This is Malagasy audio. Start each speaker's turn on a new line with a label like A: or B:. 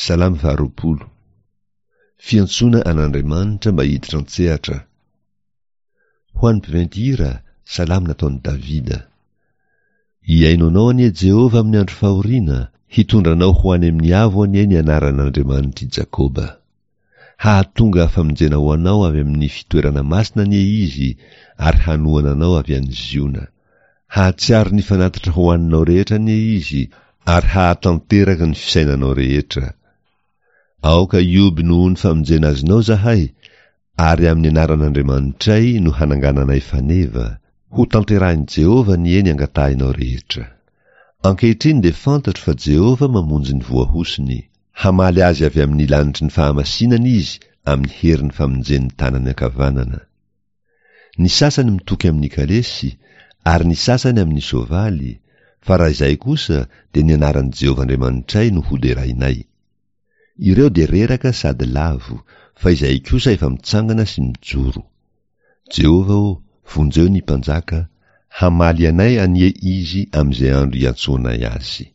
A: Salamo faharoapolo. Fiantsoana an'Andriamanitra mba hiditra an-tsehatra. Ho an'ny mpiventy hira, salamo nataon'i Davida. Hihaino anao anie Jehovah amin'ny andro fahoriana, hitondra anao ho any amin'ny avo anie ny anaran'Andriamanitr'i Jakoba. Hahatonga famonjena ho anao avy amin'ny fitoerana masina anie Izy ary hanohana anao avy any Ziona. Hahatsiaro ny fanatitra hohaninao rehetra anie Izy ary hahatanteraka ny fisainanao rehetra. Aoka hihoby noho ny famonjena azonao izahay, ary amin'ny anaran'Andriamanitray no hanangananay faneva. Hotanterahin'i Jehovah anie ny angatahinao rehetra. Ankehitriny dia fantatro fa Jehovah mamonjy ny voahosony. Hamaly azy avy amin'ny lanitry ny fahamasinana izy amin'ny herin'ny famonjen'ny tanany ankavanana. Ny sasany mitoky amin'ny kalesy, ary ny sasany amin'ny soavaly, fa raha izahay kosa dia ny anaran'i Jehovah Andriamanitray no hoderainay. Ireo dia reraka sady lavo, fa izahay kosa efa mitsangana sy mijoro. Jehovah ô, vonjeo ny mpanjaka, hamaly anay anie izy amin'izay andro iantsoanay azy.